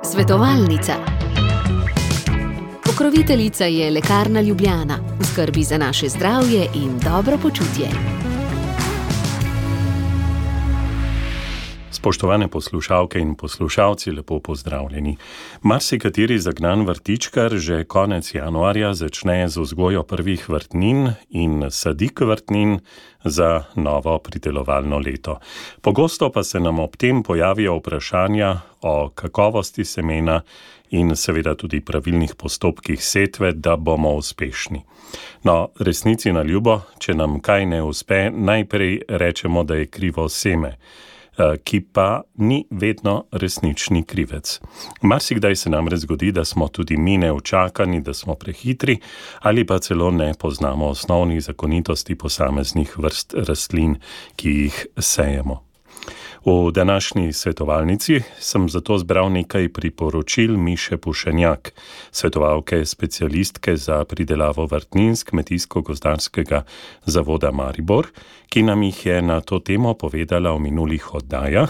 Svetovalnica. Pokroviteljica je Lekarna Ljubljana, v skrbi za naše zdravje in dobro počutje. Spoštovane poslušalke in poslušalci, lepo pozdravljeni. Marsikateri zagnan vrtičkar že konec januarja začne z vzgojo prvih vrtnin in sadik vrtnin za novo pridelovalno leto. Pogosto pa se nam ob tem pojavijo vprašanja o kakovosti semena in seveda tudi pravilnih postopkih setve, da bomo uspešni. No, resnici na ljubo, če nam kaj ne uspe, najprej rečemo, da je krivo seme, ki pa ni vedno resnični krivec. Marsikdaj se namreč zgodi, da smo tudi mi neučakani, da smo prehitri ali pa celo ne poznamo osnovnih zakonitosti posameznih vrst rastlin, ki jih sejemo. V današnji svetovalnici sem zato zbral nekaj priporočil Miše Pušenjak, svetovalke specialistke za pridelavo vrtnin z Kmetijsko-gozdarskega zavoda Maribor, ki nam jih je na to temo povedala v minulih oddajah.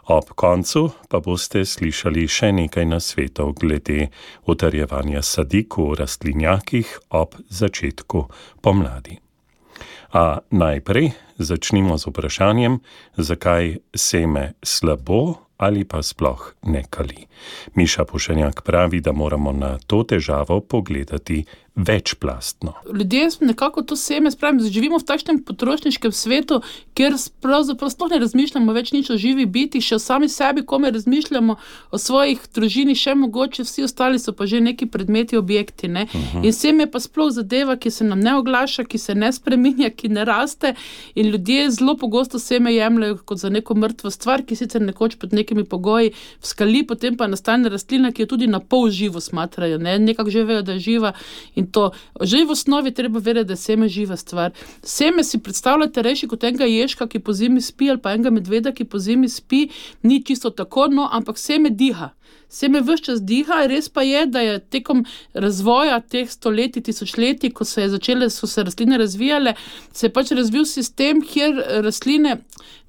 Ob koncu pa boste slišali še nekaj nasvetov glede utrjevanja sadik v rastlinjakih ob začetku pomladi. A najprej začnimo z vprašanjem, zakaj seme slabo ali pa sploh ne kali. Miša Pušenjak pravi, da moramo na to težavo pogledati večplastno. Ljudje nekako to seme, živimo v takšnem potrošniškem svetu, kjer pravzaprav sploh ne razmišljamo več nič o živi biti, še o sami sebi, kome razmišljamo, o svojih družini, še mogoče vsi ostali so pa že neki predmeti, objekti, ne. In seme pa sploh zadeva, ki se nam ne oglaša, ki se ne spreminja, ki ne raste, in ljudje zelo pogosto seme jemljajo kot za neko mrtvo stvar, ki sicer nekoč pod nekimi pogoji vskali, potem pa nastane rastlina, ki jo tudi na pol živo smatrajo, ne, nekako že vejo, da je živa. In to, že v osnovi treba vedeti, da je seme živa stvar. Seme si predstavljate rejši kot enega ježka, ki po zimi spi, ali pa enega medveda, ki po zimi spi, ni čisto tako, no, ampak seme diha. Seme ves čas diha, res pa je, da je tekom razvoja teh stoletij, tisočletij, ko so se rastline razvijale, se je pač razvil sistem, kjer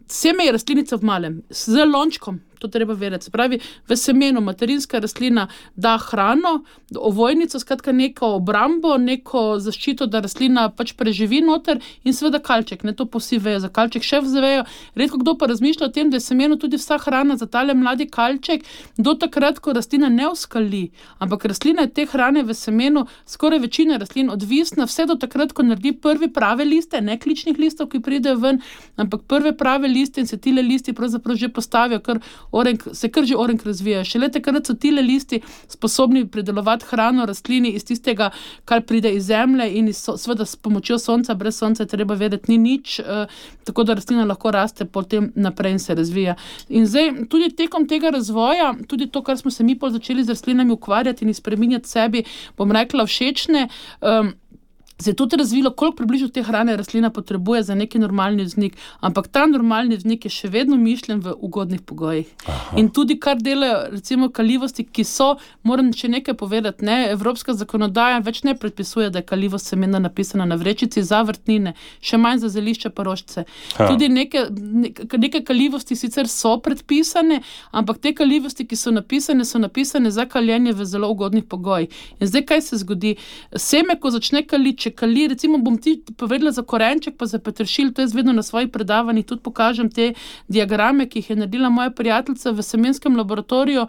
seme je rastlinica v malem, z lončkom. To treba vedeti. Se pravi, v semenu materinska rastlina da hrano, ovojnico, skratka neko obrambo, neko zaščito, da rastlina pač preživi noter, in seveda kalček, ne, to pa vsi vejo, za kalček še vejo. Redko kdo pa razmišlja o tem, da je semenu tudi vsa hrana za tale mladi kalček, do takrat, ko rastlina ne oskali. Ampak rastlina je te hrane v semenu, skoraj večina rastlin odvisna, vse do takrat, ko naredi prvi prave liste, ne kličnih listov, ki pridejo ven, ampak prve prave liste, in se tile listi pravzaprav že postavijo, se kar že orenk razvijajo. Šele takrat so tile listi sposobni pridelovati hrano rastlini iz tistega, kar pride iz zemlje, in seveda s pomočjo sonca, brez sonca treba vedeti, ni nič, tako da rastlina lahko raste potem naprej in se razvija. In zdaj, tudi tekom tega razvoja, tudi to, kar smo se mi pol začeli z rastlinami ukvarjati in spreminjati sebi, bom rekla, všečne, se je tudi razvilo, koliko približno te hrane rastlina potrebuje za neki normalni vznik, ampak ta normalni vznik je še vedno mišljen v ugodnih pogojih. Aha. In tudi kar delajo, recimo, kalivosti, ki so, moram še nekaj povedati, ne, evropska zakonodaja več ne predpisuje, da je kalivost semena napisana na vrečici za vrtnine, še manj za zelišča pa rožice. Tudi neke kalivosti sicer so predpisane, ampak te kalivosti, ki so napisane za kaljenje v zelo ugodnih pogojih. In zdaj, kaj se zgodi? Seme, ko začne kaliti, kali, recimo bom ti povedala za korenček pa za peteršilj, to jaz vedno na svojih predavanjih tudi pokažem te diagrame, ki jih je naredila moja prijateljica v semenskem laboratoriju.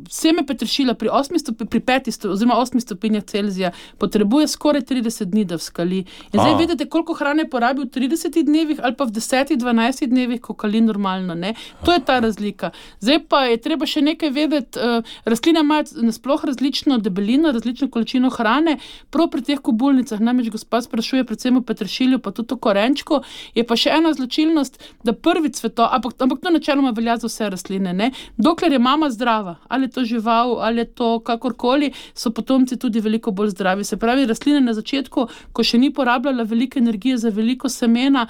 Seme peteršilja pri 8 stopinjah Celzija potrebuje skoraj 30 dni, da vskali. In zdaj vidite, koliko hrane porabi v 30 dnevih ali pa v 10-12 dnevih, ko kali normalno, ne. To je ta razlika. Zdaj pa je treba še nekaj vedeti, rastline imajo nasploh različno debelino, različno količino hrane, prav pri teh kobulnicah, namreč gospa sprašuje predvsem o peteršilju, pa tudi o korenčku, je pa še ena značilnost, da prvi cvetov, ampak to načeloma velja za vse rastline, ne. Dokler je mama zdrava, ali je to žival, ali je to kakorkoli, so potomci tudi veliko bolj zdravi. Se pravi, rastline na začetku, ko še ni porabljala veliko energije za veliko semena,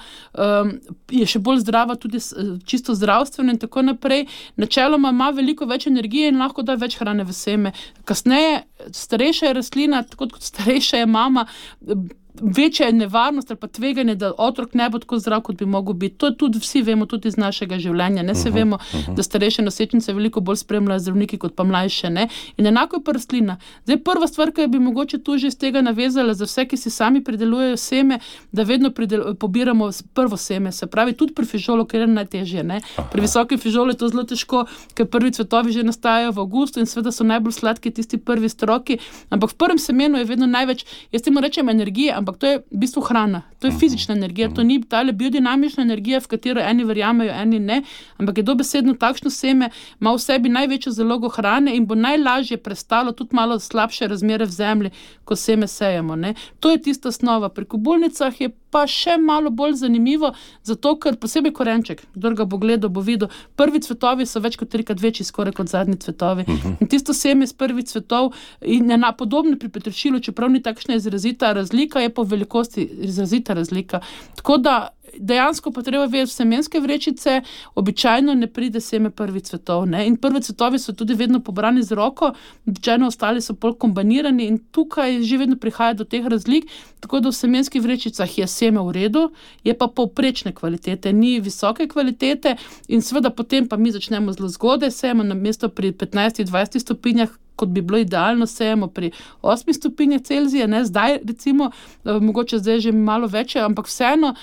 je še bolj zdrava tudi čisto zdravstveno in tako naprej. Načeloma ima veliko več energije in lahko da več hrane v seme. Kasneje, starejša je rastlina, tako kot starejša je mama, večja je nevarnost ali pa tveganje, da otrok ne bo tako zdrav, kot bi mogel biti. To tudi vsi vemo, tudi iz našega življenja. Ne se vemo, da starejše nosečnice veliko bolj spremljajo zdravniki kot pa mlajše. Ne? In enako je pa rastlina. Zdaj, prva stvar, ki bi mogoče tu že iz tega navezala za vse, ki si sami pridelujejo seme, da vedno pobiramo prvo seme. Se pravi, tudi pri fižolu, ker je najtežje. Ne? Pri visokem fižolu je to zelo težko, ker prvi cvetovi že nastajajo v avgustu in seveda so najbolj sladki tisti prvi stroki, ampak v prvem semenu je vedno največ, jaz temu rečem energije, ampak to je v bistvu hrana, to je fizična energija, to ni tale biodinamična energija, v katero eni verjamejo, eni ne, ampak je dobesedno takšno seme, ima v sebi največjo zalogo hrane in bo najlažje prestalo tudi malo slabše razmere v zemlji, ko seme sejemo. Ne. To je tista osnova. Pri kobulnicah je pa še malo bolj zanimivo, zato ker posebej korenček, kdor ga bo gledal, bo videl, prvi cvetovi so več kot 3x večji skoraj kot zadnji cvetovi. In tisto seme iz prvih cvetov in podobno pri peteršilu, čeprav ni takšna izrazita razlika, je po velikosti izrazita razlika. Tako da dejansko pa treba vedeti, v semenske vrečice običajno ne pride seme prvih cvetov. Ne? In prvi cvetovi so tudi vedno pobrani z roko, običajno ostali so bolj kombinirani in tukaj že vedno prihaja do teh razlik, tako da v semenskih vrečicah je seme v redu, je pa povprečne kvalitete, ni visoke kvalitete in seveda potem pa mi začnemo zelo zgodaj, sejemo na mesto pri 15-20 stopinjah, kot bi bilo idealno, sejemo pri 8 stopinjah Celzija, ne, zdaj recimo, mogoče zdaj že malo večje, ampak vseeno,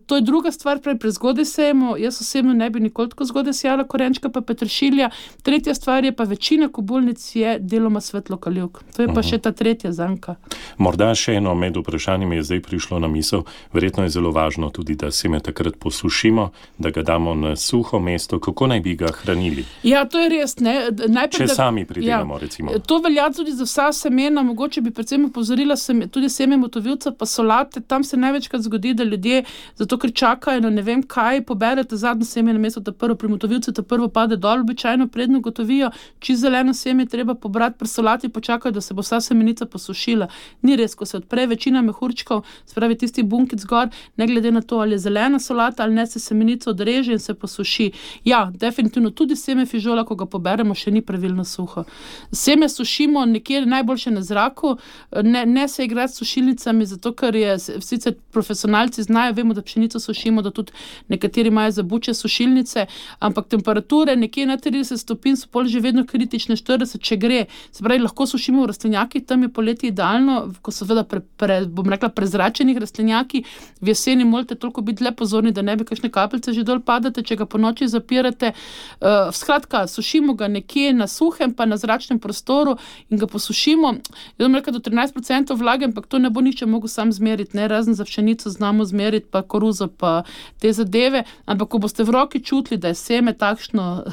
to je druga stvar, prezgodaj sejemo, jaz osebno ne bi nikoli tako zgodaj sejala korenčka pa peteršilja, tretja stvar je pa večina kobulnic je deloma svetlokalivk, to je pa še ta tretja zanka. Morda še eno med vprašanjem je zdaj prišlo na misel, verjetno je zelo važno tudi, da seme takrat posušimo, da ga damo na suho mesto, kako naj bi ga hranili? Ja, to je res, ne. Najprej, če sami pridelamo, recimo. To velja tudi za vsa semena, mogoče bi predvsem opozorila tudi seme motovilca pa solate, tam se največkrat zgodi, da ljudje, zato ker čakajo na ne vem kaj, poberete zadnje seme namesto ta prvo, pri motovilcu ta prvo pade dol, običajno predno gotovijo, čisto zeleno seme treba pobrati, pri solati počakajo, da se bo vsa semenica posušila. Ni res, ko se odpre večina mehurčkov, spravi tisti bunkic gor, ne glede na to, ali je zelena solata ali ne, se semenica odreže in se posuši. Ja, definitivno tudi seme fižola, ko ga poberemo, še ni pravilno suho. Seme sušimo nekje najboljše na zraku, ne se igrati s sušilnicami, zato ker je, sicer profesionalci znajo, vemo, da pšenico sušimo, da tudi nekateri imajo zabuče sušilnice, ampak temperature nekje na 30 stopinj so pol že vedno kritične, 40, če gre. Se pravi, lahko sušimo v rastlinjakih, tam je poleti idealno, ko so seveda bom rekla, prezračenih rastlinjaki, v jeseni morate toliko biti le pozorni, da ne bi kakšne kapljice že dol padate, če ga po noči zapirate. Skratka, sušimo ga nekje na suhem, pa na zračnem prostoru in ga posušimo. Jaz bom rekel do 13% vlage, ampak to ne bo nihče mogel sam zmeriti, ne, razen za pšenico znamo zmeriti, pa koruzo, pa te zadeve, ampak ko boste v roki čutili, da je seme takšno,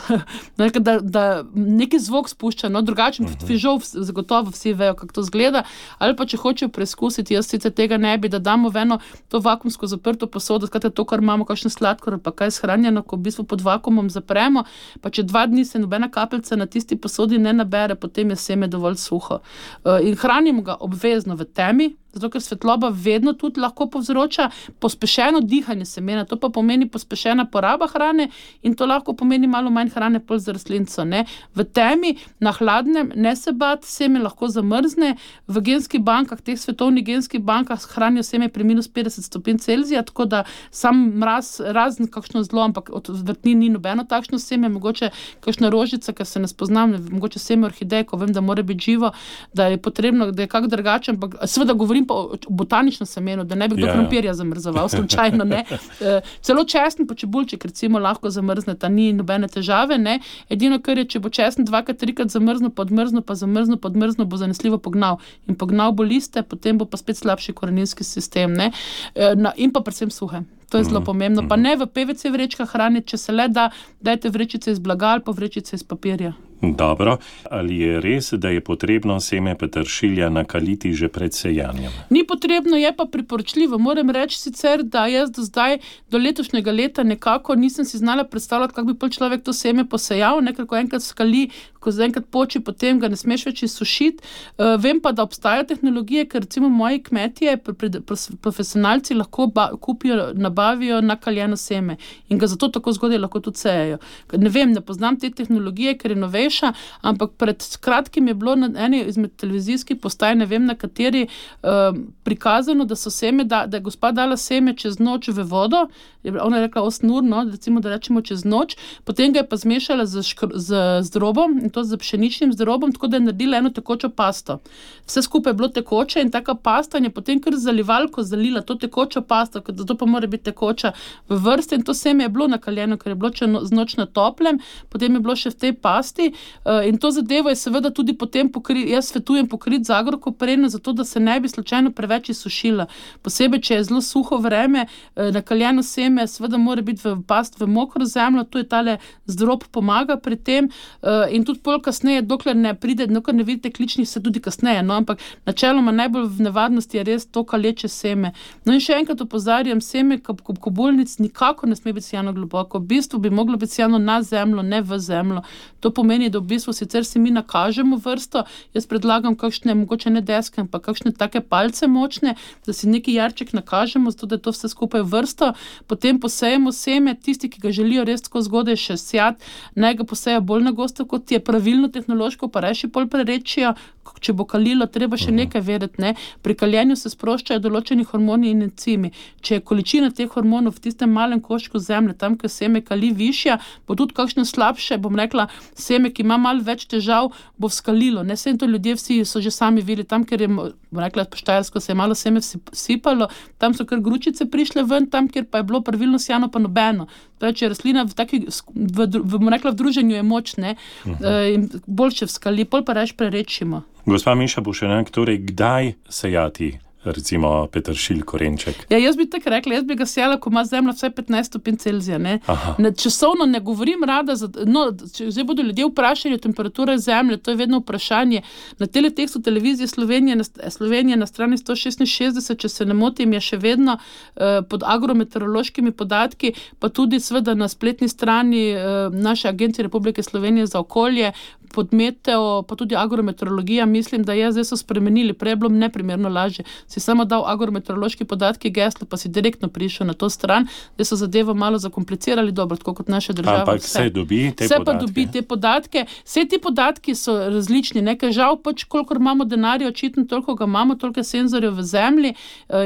da neki zvok spušča, no, drugačen fižol, zagotovo vsi vejo, kako to zgleda, ali pa če hočejo preizkusiti, jaz sicer tega ne bi, da damo v eno to vakuumsko zaprto posodo, skratka to, kar imamo, kakšen sladkor, pa kaj shranjeno, ko v bistvu pod vakuumom zapremo, pa če 2 dni se nobena kapljica na tisti posodi ne nabere, potem je seme dovolj suho. In hranimo ga obvezno v temi, zato ker svetloba vedno tudi lahko povzroča pospešeno dihanje semena, to pa pomeni pospešena poraba hrane in to lahko pomeni malo manj hrane pol za rastlinco. Ne. V temi, na hladnem, ne se bati, seme lahko zamrzne, v genskih bankah, teh svetovnih genskih bankah hranijo seme pri -50 stopinj Celzija, tako da sam mraz, razen kakšno zlo, ampak od vrtnin ni nobeno takšno seme, mogoče kakšna rožica, ker se ne spoznam, mogoče seme orhideje, ko vem, da mora biti živo, da je potrebno, da je kak drugače, ampak seveda govorim pa o botaničnem semenu, da ne bi kdo krompirja zamrzoval, slučajno, ne. Celo česen pa čebulček recimo lahko zamrzneta, ni nobene težave, ne. Edino, kar je, če bo česen 2-3 zamrznil, podmrznil, bo zanesljivo pognal. In pognal bo liste, potem bo pa spet slabši koreninski sistem, ne. In pa predvsem suhe. To je zelo pomembno. Pa ne v PVC vrečkah hraniti, če se le da, dajte vrečice iz blaga ali pa vrečice iz papirja. Dobro. Ali je res, da je potrebno seme peteršilja nakaliti že pred sejanjem? Ni potrebno, je pa priporočljivo. Moram reči sicer, da jaz do zdaj, do letošnjega leta nekako nisem si znala predstavljati, kako bi pol človek to seme posejal, ker ko enkrat skali, ko enkrat poči, potem ga ne smeš več izsušiti. Vem pa, da obstajajo tehnologije, ker recimo moji kmetje, profesionalci lahko kupijo, nabavijo nakaljeno seme in ga zato tako zgodaj lahko tudi sejajo. Ne vem, ne poznam te tehnologije, ker je novejša, zmeša, ampak pred kratkim je bilo na eni izmed televizijskih postaj, ne vem na kateri, prikazano, da so seme, da je gospa dala seme čez noč v vodo, ona je rekla 8 ur, no, recimo, da rečemo čez noč, potem ga je pa zmešala z zdrobom, in to z pšeničnim zdrobom, tako da je naredila eno tekočo pasto. Vse skupaj je bilo tekoče in taka pasta je potem kar zalivalko zalila to tekočo pasto, ker zato pa mora biti tekoča v vrsti, in to seme je bilo nakaljeno, ker je bilo z noč na toplem, potem je bilo še v tej pasti, in to zadevo je seveda tudi potem jaz svetujem pokriti z agrokopreno, zato da se ne bi slučajno preveč izsušila. Posebej, če je zelo suho vreme, nakaljeno seme seveda mora biti v past v mokro zemljo, to je tale zdrob pomaga pri tem, in tudi pol kasneje, dokler ne pride, dokler ne vidite kličnih, se tudi kasneje, no, ampak načeloma najbolj v nevarnosti je res to kaleče seme. No in še enkrat opozarjam, seme kobulnic nikako ne sme biti sejano globoko, v bistvu bi moglo biti sejano na zemljo, ne v zemljo. To pomeni, da v bistvu sicer si mi nakažemo vrsto, jaz predlagam kakšne, mogoče ne deske, ampak kakšne take palce močne, da si neki jarček nakažemo, zato da je to vse skupaj vrsto, potem posejemo seme, tisti, ki ga želijo res tako zgodaj še sejati, naj ga poseja bolj na gosto, kot je pravilno tehnološko, pa reši pol prerečijo, če bo kalilo, treba še nekaj vedeti, ne. Pri kaljenju se sproščajo določeni hormoni in encimi. Če je količina teh hormonov v tistem malem koščku zemlje, tam, kjer seme kali višja, bo tudi kakšno slabše, bom rekla, seme, ki ima malo več težav, bo vzkalilo. Ne, sej to ljudje vsi so že sami videli, tam, kjer je, bom rekla, po Štajersko se je malo seme sipalo, tam so kar gručice prišle ven, tam, kjer pa je bilo pravilno sejano, pa nobeno. Torej, če je rastlina bom rekla, v druženju je moč, ne, in boljše vzkali, pol pa reč prerečimo. Gospa Miša Pušenjak, torej kdaj sejati recimo peteršilj, korenček? Ja, jaz bi tako rekla, jaz bi ga sejala, ko ima zemlja vsaj 15 stopinj Celzija, ne. Časovno ne govorim rada, če zdaj bodo ljudje vprašali o temperaturi zemlje, to je vedno vprašanje. Na teletekstu televizije Slovenije na strani 166, če se ne motim, je še vedno pod agrometeorološkimi podatki, pa tudi seveda na spletni strani naše Agencije Republike Slovenije za okolje, pod meteo, pa tudi agrometeorologija, mislim, da zdaj so spremenili, prej je bilo neprimerno lažje. Si samo dal agrometeorološki podatki, geslo, pa si direktno prišel na to stran, da so zadevo malo zakomplicirali, dobro, tako kot naša država. Ampak se dobi te podatke. Se pa dobi te podatke. Vse ti podatki so različni, nekaj žal pač, kolikor imamo denarja, očitno toliko ga imamo, toliko senzorjev v zemlji,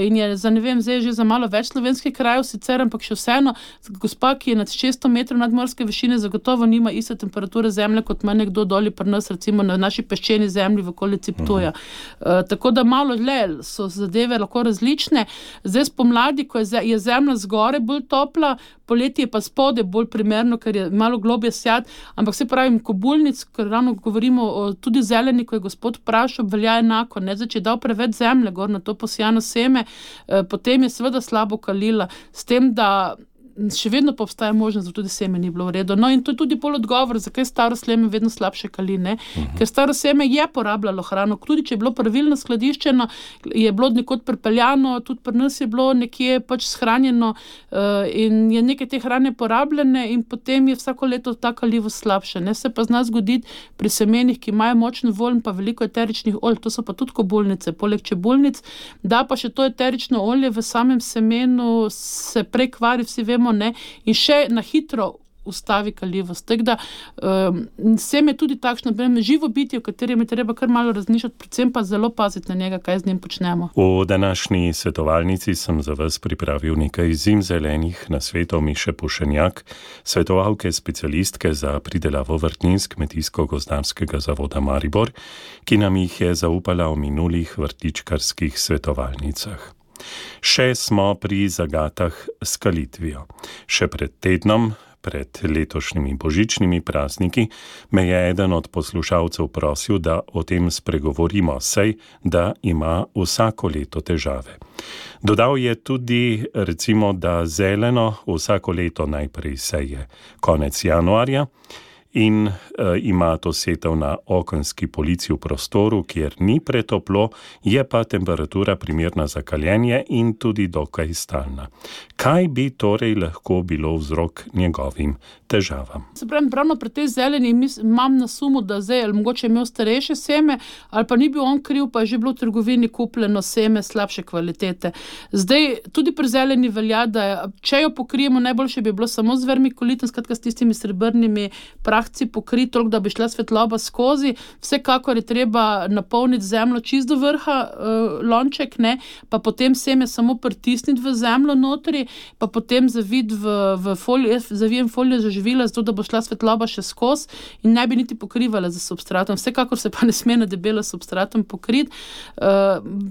in je za, ne vem, zdaj že za malo več slovenskih krajev sicer, ampak še vseeno, gospa, ki je nad 600 metrov nadmorske višine, zagotovo nima iste temperature zemlje, kot ima nekdo doli pri nas, recimo na naši peščeni zemlji v okolici Ptuja. Tako da malo so zadeve lahko različne. Zdaj spomladi, ko je zemlja zgore bolj topla, poleti je pa spode bolj primerno, ker je malo globje sejati, ampak se pravim, kobulnic, ker ravno govorimo o tudi zeleni, ko je gospod vprašal, velja enako, ne, zdaj, če je dal preveč zemlje gor na to posejano seme, potem je seveda slabo kalila, s tem, da še vedno pa obstaja možnost, da tudi seme ni bilo v redu. No in to je tudi pol odgovor, zakaj staro seme vedno slabše kali, ne? Ker staro seme je porabljalo hrano, tudi če je bilo pravilno skladiščeno, je bilo nekod pripeljano, tudi pri nas je bilo nekje pač shranjeno, in je nekaj te hrane porabljene in potem je vsako leto ta kalivost slabša, ne? Se pa zna zgoditi pri semenih, ki imajo močno volj, pa veliko eteričnih olj, to so pa tudi kobulnice, poleg čebulnic, da pa še to eterično olje v samem semenu se prekvari, vsi vemo, ne, in še na hitro ustavi kaljivost. Tako da seme je tudi takšno, živo bitje, o katerem je treba kar malo razmišljati, predvsem pa zelo paziti na njega, kaj z njim počnemo. V današnji svetovalnici sem za vas pripravil nekaj zimzelenih nasvetov Miše Pušenjak, svetovalke specialistke za pridelavo vrtnin s Kmetijsko-gozdarskega zavoda Maribor, ki nam jih je zaupala v minulih vrtičkarskih svetovalnicah. Še smo pri zagatah s kalitvijo. Še pred tednom, pred letošnjimi božičnimi prazniki, me je eden od poslušalcev prosil, da o tem spregovorimo, saj da ima vsako leto težave. Dodal je tudi, recimo, da zeleno vsako leto najprej seje konec januarja, in ima to setev na okenski polici v prostoru, kjer ni pretoplo, je pa temperatura primerna za kaljenje in tudi dokaj stalna. Kaj bi torej lahko bilo vzrok njegovim težavam? Se pravim, pravno pri tej zeleni imam na sumu, da zdaj ali mogoče imel starejše seme, ali pa ni bil on kriv, pa je že bilo v trgovini kupljeno seme slabše kvalitete. Zdaj, tudi pri zeleni velja, da če jo pokrijemo, najboljše bi bilo samo z vermikulitom, skratka s tistimi srebrnimi prahi, lahci pokriti toliko, da bi šla svetloba skozi. Vsekakor je treba napolniti zemljo čist do vrha, lonček, ne, pa potem seme samo pritisniti v zemljo notri, pa potem zaviti v folijo, zavijem folijo za živila, zato da bo šla svetloba še skozi in ne bi niti pokrivala za substratom. Vsekakor se pa ne sme na debelo substratom pokriti.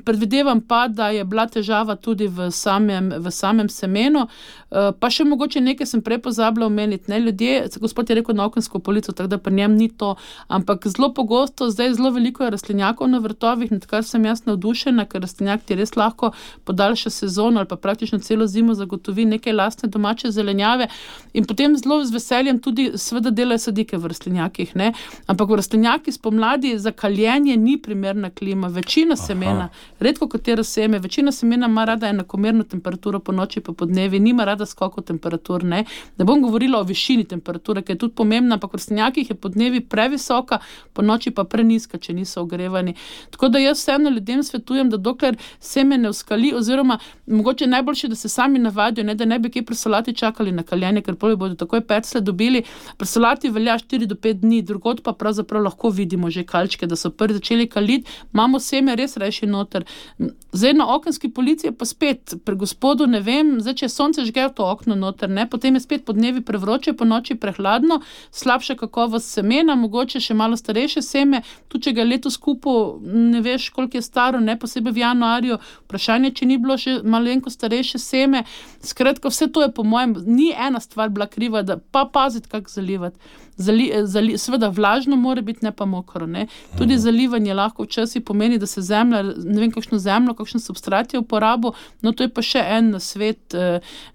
Predvidevam pa, da je bila težava tudi v samem semenu. Pa še mogoče nekaj sem prej pozabila omeniti. Ljudje, gospod je rekel na okensko polico, tako da pri njem ni to, ampak zelo pogosto, zdaj zelo veliko je rastlinjakov na vrtovih, nad kar sem jaz navdušena, ker rastlinjak ti res lahko podaljša sezono ali pa praktično celo zimo zagotovi nekaj lastne domače zelenjave in potem zelo z veseljem tudi seveda delajo sadike v rastlinjakih, ne? Ampak v rastlinjaki spomladi za kaljenje ni primerna klima. Večina semena, redko katero seme, večina semena ima rada enakomerno temperaturo po noči pa po dnevi, nima rada skokov temperatur, ne? Ne bom govorila o višini temperature, ki je tudi pomembna, ampak v rastlinjakih je po dnevi previsoka, po noči pa prenizka, če niso ogrevani. Tako da jaz vseeno ljudem svetujem, da dokler seme ne uskali, oziroma mogoče najboljše, da se sami navadijo, ne, da ne bi kaj pri solati čakali na kaljenje, ker potem bodo takoj peclje dobili. Pri solati velja 4 do 5 dni, drugod pa pravzaprav lahko vidimo že kalčke, da so prvi začeli kaliti, imamo seme res reši noter. Zdaj na okenski polici je pa spet, pri gospodu ne vem, zdaj če je sonce žge v to okno noter, ne, potem je spet po dnevi prevroče, po noči prehladno, slabša kakovost semena, mogoče še malo starejše seme, tudi če ga letos kupil, ne veš, koliko je staro, ne, posebej v januarju, vprašanje, če ni bilo še malenko starejše seme. Skratka, vse to je po mojem, ni ena stvar bila kriva, da pa paziti, kako zalivati. Seveda vlažno mora biti, ne pa mokro, ne. Tudi zalivanje lahko včasih pomeni, da se zemlja, ne vem, kakšno zemljo, kakšen substrat je uporabil, no to je pa še en nasvet,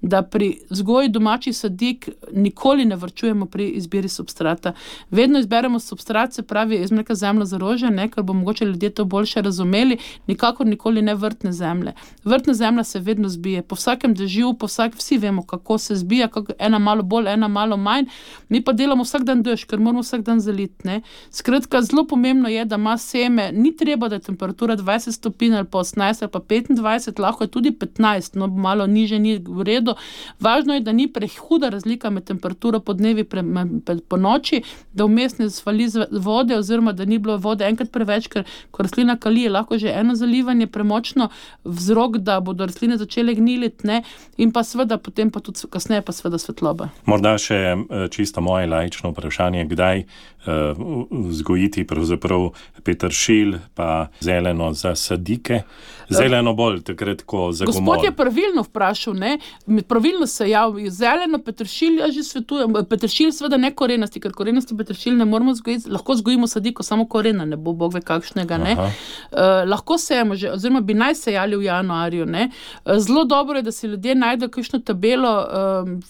da pri vzgoji domačih sadik nikoli ne varčujemo pri izbiri substrata. Vedno izberemo substrat, se pravi, jaz reka zemljo za rože, ne, ker bo mogoče ljudje to boljše razumeli, nikakor nikoli ne vrtne zemlje. Vrtna zemlja se vedno zbije, po vsakem dežju, vsi vemo, kako se zbija, ena malo bolj, ena malo manj, mi pa delamo vsak dan dež, ker moramo vsak dan zaliti, ne. Skratka, zelo pomembno je, da ima seme, ni treba, da je temperatura 20 stopinj ali pa 18 ali pa 25, lahko je tudi 15, no malo niže ni v redu. Važno je, da ni prehuda razlika med temperaturo po dnevi po noči, da vmes ne zvali vode oziroma da ni bilo vode enkrat preveč, ker ko rastlina kali, je lahko že eno zalivanje premočno vzrok, da bodo rastline začele gniliti, ne, in pa seveda potem pa tudi kasneje pa seveda svetloba. Morda še čisto moje laično vprašanje, kdaj vzgojiti pravzaprav peteršilj pa zeleno za sadike? Zeleno bolj takrat, ko za gomolj. Gospod je pravilno vprašal, ne? Pravilno se javi. Zeleno peteršilj, jaz že svetujem. Peteršilj seveda ne korenasti, ker korenasti peteršilj ne moramo vzgojiti. Lahko vzgojimo sadiko, samo korena ne bo, bog ve kakšnega, ne? Lahko sejemo že, oziroma bi naj sejali v januarju, ne? Zelo dobro je, da si ljudje najdejo kakšno tabelo,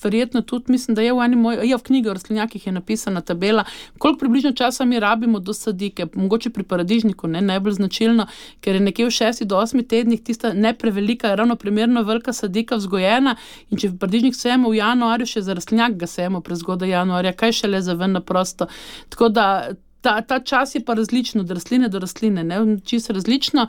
verjetno tudi, mislim, da je v knjigi o rastlinjakih je napisana tabela, koliko približno časa mi rabimo do sadike, mogoče pri paradižniku, ne, najbolj značilno, ker je nekje v 6 do 8 tednih tista ne prevelika, ravno primerno velika sadika vzgojena in če paradižnik sejemo v januarju, še za rastlinjak ga sejemo prezgodaj januarja, kaj šele za ven na prosto. Tako da ta čas je pa različno od rastline do rastline, ne, čisto različno.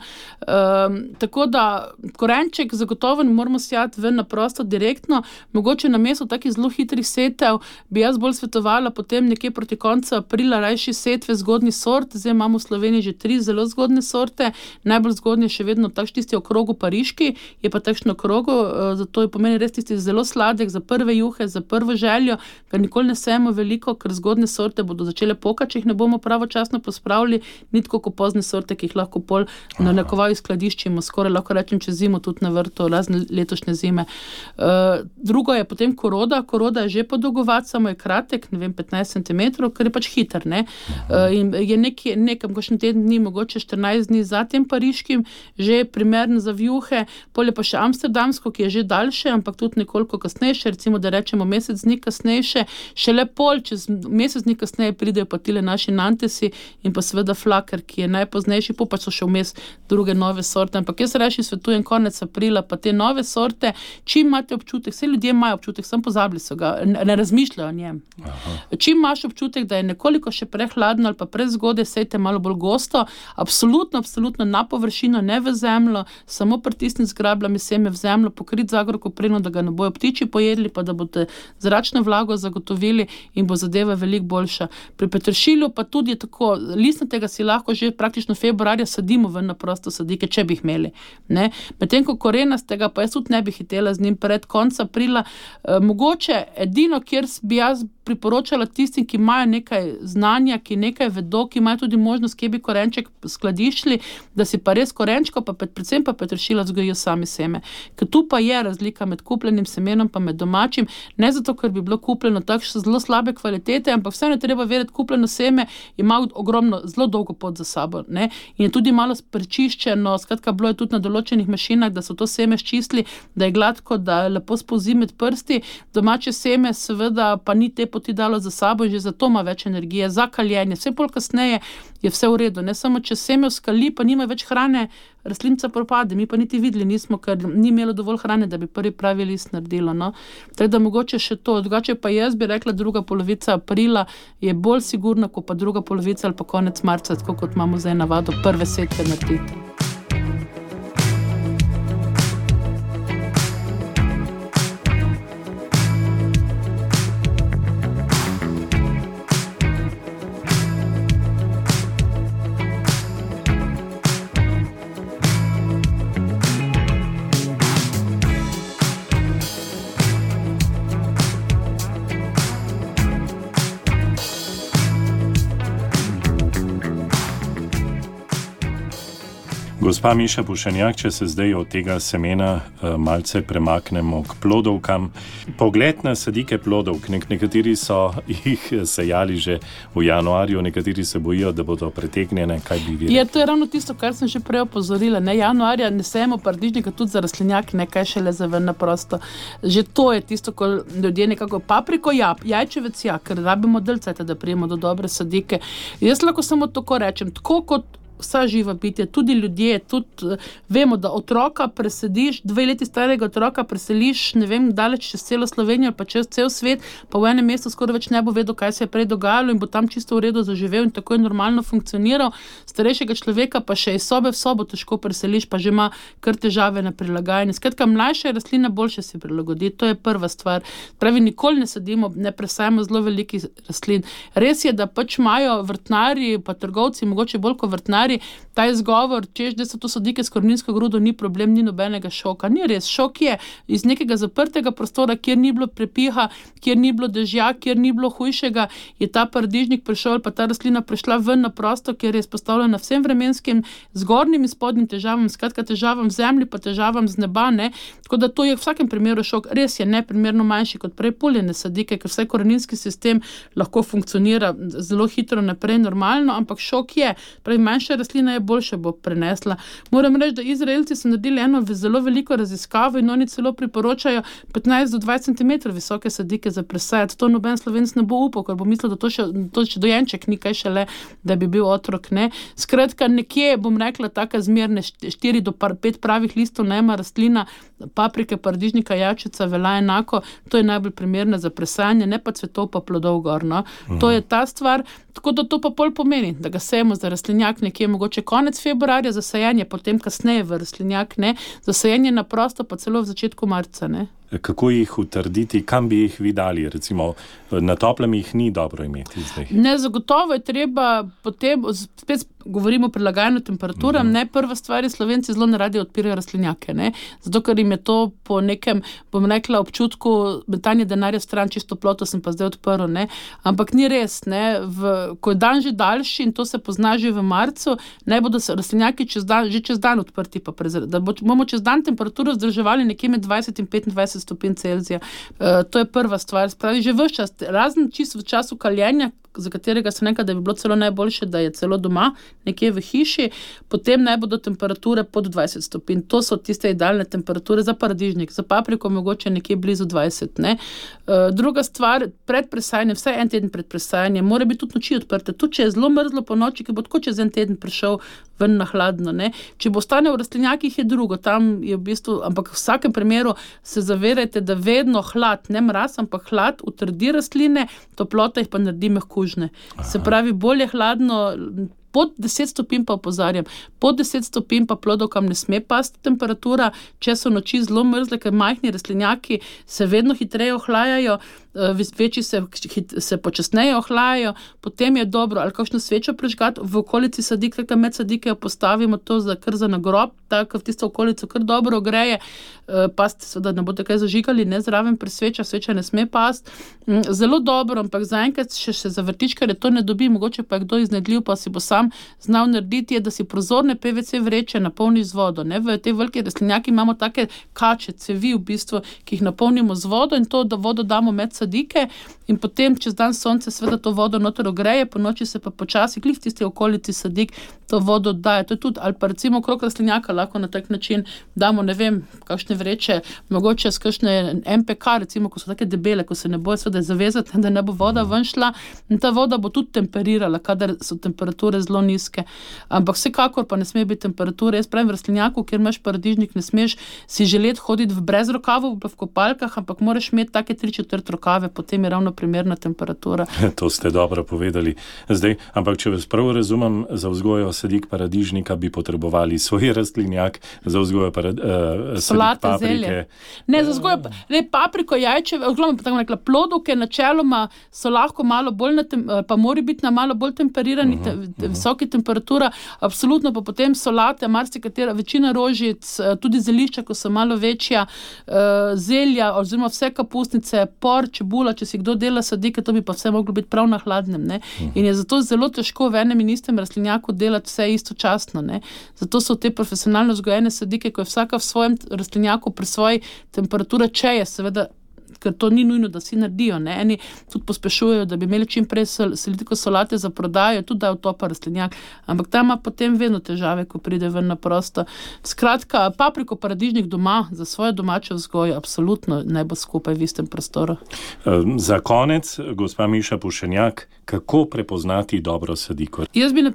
Tako da korenček zagotovo ne moramo sejati ven na prosto direktno, mogoče namesto takih zelo hitrih setev bi jaz bolj svetovala potem nekje proti koncu aprila rajši setve zgodnji sort. Zdaj imamo v Sloveniji že 3 zelo zgodne sorte, najbolj zgodnje še vedno takšni tisti okrogu pariški, je pa takšno okrogu, zato je pomeni res tisti zelo sladek za prve juhe, za prvo željo, ker nikoli ne sejemo veliko, ker zgodne sorte bodo začele pokati, če jih ne bomo pravočasno pospravili, ni tako kot pozne sorte, ki jih lahko pol na nekovaj skladiščimo, skoraj lahko rečem čez zimo tudi na vrtu, razne letošnje zime. Drugo je potem koroda je že podolgovat, samo je kratek, ne vem, 15 cm, ker je pač hiter, ne. In je nekam kakšen teden dni, mogoče 14 dni za tem pariškim, že primeren za vjuhe, pol je pa še amsterdamsko, ki je že daljše, ampak tudi nekoliko kasnejše, recimo, da rečemo mesec dni kasnejše, šele pol, čez mesec dni kasneje pridejo pa tile naši Fantasi in pa seveda Flaker, ki je najpoznejši, pa so še vmes druge nove sorte, ampak jaz reči svetujem konec aprila, pa te nove sorte, čim imate občutek, vse ljudje imajo občutek, sem pozabili so ga, ne razmišljajo o njem. Aha. Čim imaš občutek, da je nekoliko še prehladno ali pa prezgodaj, sejte malo bolj gosto, absolutno na površino, ne v zemljo, samo pritisniti z grabljami seme v zemljo, pokriti z agrokopreno, da ga ne bojo ptiči pojedli, pa da boste zračno vlago zagotovili in bo zadeva veliko boljša. Pri peteršilju pa tudi je tako, listnatega si lahko že praktično februarja sadimo ven na prosto sadike, če bi jih imeli. Ne? Medtem ko korenastega pa jaz tudi ne bi hitela z njim pred konca aprila. Mogoče edino, kjer bi jaz priporočala tistim, ki imajo nekaj znanja, ki nekaj vedo, ki imajo tudi možnost, kje bi korenček skladiščili, da si pa res korenčko, pa predvsem pa peteršilja vzgojijo sami seme. Ker tu pa je razlika med kupljenim semenom pa med domačim, ne zato, ker bi bilo kupljeno takšne zelo slabe kvalitete, ampak vseeno je treba vedeti, kupljeno seme ima ogromno, zelo dolgo pot za sabo, ne? In je tudi malo prečiščeno, skratka, bilo je tudi na določenih mašinah, da so to seme ščistili, da je gladko, da lepo spolzi med prsti, domače seme seveda pa ni te poti dalo za sabo in že zato ima več energije, za kaljenje, vse bolj kasneje je vse v redu, ne samo če seme skali, pa nima več hrane, rastlinica propade, mi pa niti videli nismo, ker ni imelo dovolj hrane, da bi prvi pravi list naredilo, no. Tako da mogoče še to, drugače pa jaz bi rekla, druga polovica aprila je bolj sigurna, kot pa druga polovica ali pa konec marca, tako kot imamo zdaj navado prve setve narediti. Gospa Miša Pušenjak, če se zdaj od tega semena malce premaknemo k plodovkam. Pogled na sadike plodovk, nekateri so jih sejali že v januarju, nekateri se bojijo, da bodo pretegnjene, kaj bi videli? To je ravno tisto, kar sem že prej opozorila, ne, januarja ne sejemo paradižnika tudi za rastlinjak, ne, kaj šele za ven na prosto. Že to je tisto, ko ljudje nekako papriko, jajčevec, ker rabimo delceta, da prijemo do dobre sadike. Jaz lahko samo tako rečem, tako kot vsa živa bitja, tudi ljudje, tudi vemo, da otroka presediš, 2 leti starega otroka preseliš, ne vem, daleč čez celo Slovenijo ali pa čez cel svet, pa v enem mestu skoraj več ne bo vedel, kaj se je prej dogajalo in bo tam čisto v redu zaživel in tako je normalno funkcioniral. Starejšega človeka pa še iz sobe v sobo težko preseliš, pa že ima kar težave na prilagajanju. Skratka, mlajša rastlina boljše si prilagodi, to je prva stvar. Pravi, nikoli ne sadimo, ne presajamo zelo velikih rastlin. Res je, da pač imajo vrtnarji, pa trgovci, mogoče bolj kot vrtnarji, ta izgovor, češ, da so to sadike s koreninsko grudo, ni problem, ni nobenega šoka. Ni res, šok je iz nekega zaprtega prostora, kjer ni bilo prepiha, kjer ni bilo dežja, kjer ni bilo hujšega, je ta paradižnik prišel, pa ta rastlina prišla ven na prosto, kjer je izpostavljena vsem vremenskim zgornjim in spodnjim težavam, skratka težavam v zemlji, pa težavam z neba, ne. Tako da to je v vsakem primeru šok. Res je neprimerno manjši kot prej poljene sadike, ker vsaj koreninski sistem lahko funkcionira zelo hitro naprej, normalno, ampak šok je. Pravi, manjša rastlina je boljše bo prenesla. Moram reči, da Izraelci so naredili eno zelo veliko raziskavo in oni celo priporočajo 15 do 20 cm visoke sadike za presajati. To noben Slovenec ne bo upal, ker bo mislil, da to še dojenček ni kaj šele, da bi bil otrok, ne. Skratka, nekje, bom rekla, taka zmerne 4 do 5 pravih listov najma rastlina, paprike, paradižnika, jajčeca velja enako, to je najbolj primerna za presajanje, ne pa cvetov pa plodov gor, no. To je ta stvar, tako da to pa pol pomeni, da ga sejemo za rastlinjak nekje mogoče konec februarja, za sajanje potem kasneje v rastlinjak, ne, za sajanje na prosto pa celo v začetku marca, ne. Kako jih utrditi, kam bi jih vi dali? Recimo, na toplem jih ni dobro imeti zdaj. Ne, zagotovo je treba potem, spet govorimo o prilagajanju temperaturam, ne, prva stvar je, Slovenci zelo neradi odpirajo rastlinjake, ne, zato ker jim je to po nekem, bom rekla, občutku metanje denarja stran, čisto toploto sem pa zdaj odprl, ne, ampak ni res, ne, ko je dan že daljši in to se pozna že v marcu, naj bodo se rastlinjaki že čez dan odprti, pa da bomo čez dan temperaturo vzdrževali nekje med 20 in 25 stopinj Celzija. To je prva stvar. Spravi, že ves čas, razen čisto v času kaljenja, za katerega se nekaj, da bi bilo celo najboljše, da je celo doma, nekje v hiši, potem naj bodo temperature pod 20 stopinj. To so tiste idealne temperature za paradižnik, za papriko mogoče nekje blizu 20. Ne? Druga stvar, pred presajanjem, vsaj en teden pred presajanjem, mora biti tudi noči odprte. Tudi če je zelo mrzlo po noči, ki bo tako čez en teden prišel ven na hladno. Ne? Če bo ostane v rastlinjakih, je drugo. Tam je v bistvu, ampak v vsakem primeru se zavedajte, da vedno hlad, ne mraz, ampak hlad utrdi rastline, toplota jih pa naredi mehkužne. Se pravi, bolje hladno, pod 10 stopinj pa opozarjam, pod 10 stopinj pa plodovkam ne sme pasti temperatura, če so noči zelo mrzle, ker majhni rastlinjaki se vedno hitreje ohlajajo, večji se počasneje ohlajajo, potem je dobro, ali kakšno svečo prižgati v okolici sadik, tako med sadike postavimo to kar za nagrob, tako v tisto okolico kar dobro ogreje, pasti seveda ne boste kaj zažigali, ne zraven pri svečah, sveča ne sme pasti. Zelo dobro, ampak zaenkrat še za vrtičkarje to ne dobi, mogoče pa je kdo iznedljiv, pa si bo sam znal narediti, je, da si prozorne PVC vreče napolni z vodo. Ne? V te velike rastlinjaki imamo take kače, cevi v bistvu, ki jih napolnimo z vodo in to, da vodo damo med sadike in potem čez dan sonce seveda to vodo noter ogreje, po noči se pa počasi glih v tisti okolici sadik to vodo oddaja. To je tudi, ali pa recimo okrog rastlinjaka lahko na tak način damo, ne vem, kakšne vreče, mogoče s kakšne MPK, recimo, ko so take debele, ko se ne bojo seveda zavezati, da ne bo voda ven šla in ta voda bo tudi temperirala, kadar so temperature zelo nizke. Ampak vsekakor pa ne sme biti temperature. Jaz pravim, v rastlinjaku, kjer imaš paradižnik, ne smeš si želeti hoditi brez rokavov v kopalkah, ampak moraš imeti take 3/4 rokave, potem je ravno primerna temperatura. To ste dobro povedali. Zdaj, ampak če vas prav razumem, za vzgojo sadik paradižnika bi potrebovali svoj rastlinjak, za vzgojo sadik paprike. Ne, za vzgojo papriko, jajčeve, tako rekla, plodovke načeloma so lahko malo bolj, pa mora biti na malo bolj temperirani, visoki temperatura, absolutno pa potem solate, marsikatera, večina rožic, tudi zelišča, ko so malo večja, zelja, oziroma vse kapusnice, por, čebula, če si kdo dela sadike, to bi pa vse moglo biti prav na hladnem. Ne? In je zato zelo težko v enem in istem rastlinjaku delati vse istočasno. Ne? Zato so te profesionalno vzgojene sadike, ko je vsaka v svojem rastlinjaku pri svoji temperaturi, če je seveda, ker to ni nujno, da si naredijo. Ne? Eni tudi pospešujejo, da bi imeli čim prej selitiko solate za prodajo, tudi dajo topa rastlinjak, ampak ta ima potem vedno težave, ko pride ven na prosto. Skratka, papriko, paradižnik doma, za svojo domačo vzgojo, absolutno ne bo skupaj v istem prostoru. Za konec, gospa Miša Pušenjak, kako prepoznati dobro sadiko? Jaz bi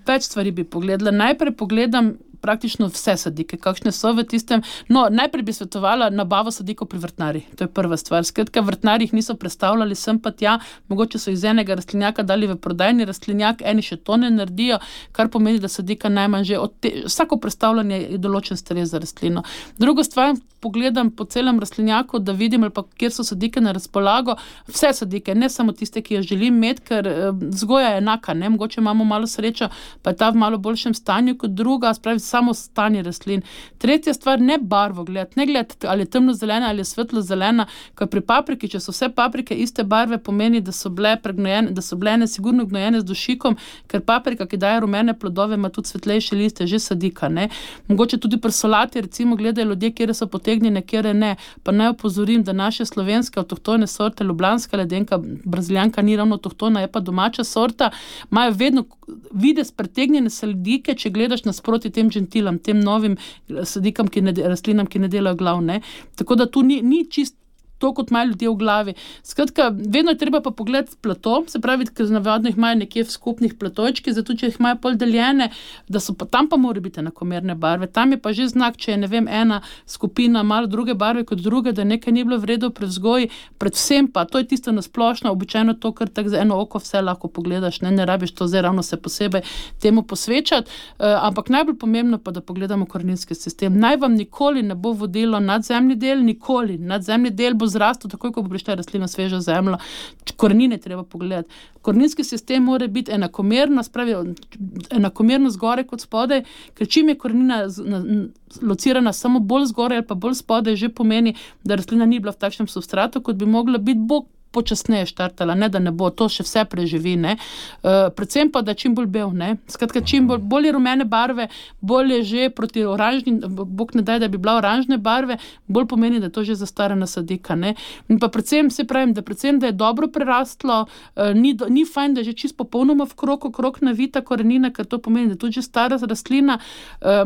več stvari bi pogledala. Najprej pogledam praktično vse sadike, kakšne so v tistem. No, najprej bi svetovala nabavo sadikov pri vrtnarjih. To je prva stvar. Skratka, vrtnarji jih niso prestavljali sem pa tja, mogoče so iz enega rastlinjaka dali v prodajni rastlinjak, eni še to ne naredijo, kar pomeni, da sadika najmanj že vsako prestavljanje je določen stres za rastlino. Drugo stvar, pogledam po celem rastlinjaku, da vidim, ali pa kjer so sadike na razpolago, vse sadike, ne samo tiste, ki jo želim imeti, ker vzgoja je enaka, ne, mogoče imamo malo srečo, pa je ta v malo boljšem stanju kot druga, spravi samo stanje rastlin. Tretja stvar, ne barvo gledati, ne gledati, ali je temno zelena ali je svetlo zelena, ker pri papriki, če so vse paprike iste barve, pomeni, da so bile pregnojene, da so bile sigurno gnojene z dušikom, ker paprika, ki daje rumene plodove, ima tudi svetlejše liste, že sadika, ne. Mogoče tudi pri solati, recimo, gledajo ljudje, kjer so potegnjene, kjer ne. Pa naj opozorim, da naše slovenske avtohtone sorte, ljubljanska ledenka, brazilijanka ni ravno avtohtona, je pa domača sorta, imajo vedno videz pretegnjene sadike, če gledaš nasproti tem gentilam, tem novim sadikam, rastlinam, ki ne delajo glav, ne. Tako da tu ni čisto to, kot imajo ljudje v glavi. Skratka, vedno je treba pa pogledati plato, se pravi, ker navadno jih imajo nekje v skupnih platojčki, zato če jih imajo pol deljene, da so pa tam pa mora biti enakomerne barve. Tam je pa že znak, če je, ne vem, ena skupina malo druge barve kot druge, da nekaj ni bilo v redu pri vzgoji, predvsem pa, to je tisto nasplošno, običajno to, kar tako za eno oko vse lahko pogledaš, ne rabiš to zdaj ravno se posebej temu posvečati, ampak najbolj pomembno pa, da pogledamo koreninski sistem. Naj vam nikoli ne bo vodilo nadzemni del, nikoli. Nadzemni del bo zrastel, takoj, ko bo prišla rastlina svežo zemljo. Korenine treba pogledati. Koreninski sistem mora biti enakomerno, spravi enakomerno zgoraj kot spodaj, ker čim je korenina locirana samo bolj zgoraj ali pa bolj spodaj, že pomeni, da rastlina ni bila v takšnem substratu, kot bi mogla biti. Bog počasneje štartala, ne da ne bo, to še vse preživi, ne. Predvsem pa, da čim bolj bel, ne. Skratka, čim bolj rumene barve, bolj je že proti oranžni, bog ne daj, da bi bila oranžne barve, bolj pomeni, da je to že zastarana sadika, ne. In pa predvsem, da je dobro prerastlo, ni fajn, da je že čisto popolnoma okrog navita korenina, ker to pomeni, da je tudi že stara rastlina,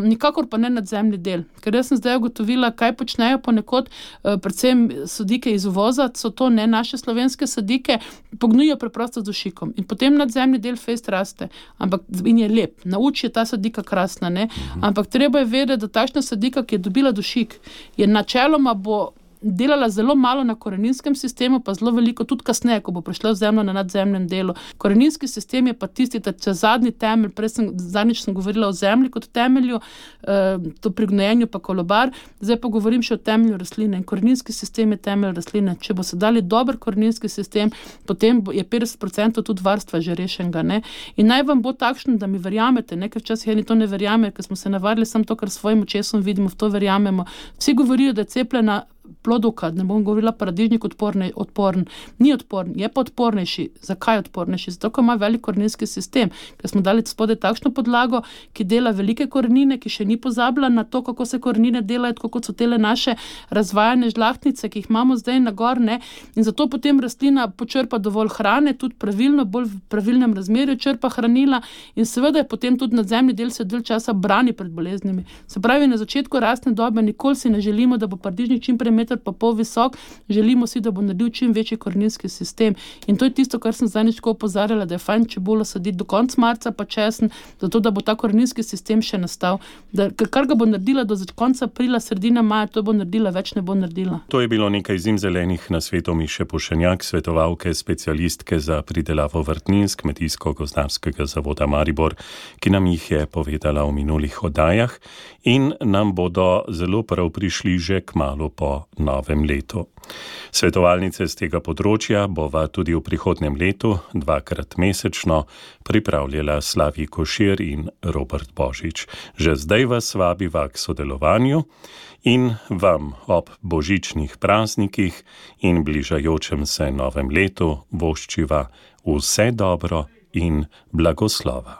nikakor pa ne nadzemni del. Ker jaz sem zdaj ugotovila, kaj počnejo ponekod, predvsem sadike iz uvoza, so to ne naše slovenske sadike, pognujo preprosto z dušikom in potem nadzemni del fejst raste, ampak in je lep, na oči je ta sadika krasna, ne, ampak treba je vedeti, da takšna sadika, ki je dobila dušik, je načeloma bo delala zelo malo na koreninskem sistemu, pa zelo veliko tudi kasneje, ko bo prišla v zemljo na nadzemnem delu. Koreninski sistem je pa tisti, da če zadnji temelj, zadnjič sem govorila o zemlji kot temelju, to pri gnojenju pa kolobar, zdaj pa govorim še o temelju rastline. In koreninski sistem je temelj rastline. Če bo se dali dober koreninski sistem, potem je 50% tudi varstva že rešenega, ne. In naj vam bo takšno, da mi verjamete, ne, ker včasih eni to ne verjame, ker smo se navadili samo to, kar svojim očesom vidimo, v to verjamemo. Vsi govorijo, da je cepljena plodovka, ne bom govorila paradižnik odporen. Ni odporen, je pa odpornejši. Zakaj odpornejši? Zato, ker ima velik koreninski sistem, ker smo dali spodaj takšno podlago, ki dela velike korenine, ki še ni pozabila na to, kako se korenine delajo, tako kot so tele naše razvajane žlahtnice, ki jih imamo zdaj na gor, ne. In zato potem rastlina počrpa dovolj hrane, tudi pravilno, bolj v pravilnem razmerju črpa hranila in seveda je potem tudi nadzemni del se dalj časa brani pred boleznimi. Se pravi, na začetku rastne dobe nikoli si ne želimo, da bo paradižnik čim prej meter pa pol visok, želimo si, da bo naredil čim večji koreninski sistem. In to je tisto, kar sem zadnjič opozarjala, da je fajn čebulo saditi do konca marca pa česen, zato da bo ta koreninski sistem še nastal. Kar ga bo naredila do konca aprila, sredina maja, to bo naredila, več ne bo naredila. To je bilo nekaj zimzelenih nasvetov Miše Pušenjak, svetovalke, specialistke za pridelavo vrtnin s Kmetijsko-gozdarskega zavoda Maribor, ki nam jih je povedala v minulih oddajah in nam bodo zelo prav prišli že kmalu po novem letu. Svetovalnice z tega področja bova tudi v prihodnjem letu 2-krat mesečno pripravljala Slavij Košir in Robert Božič. Že zdaj vas vabiva k sodelovanju in vam ob božičnih praznikih in bližajočem se novem letu voščiva vse dobro in blagoslova.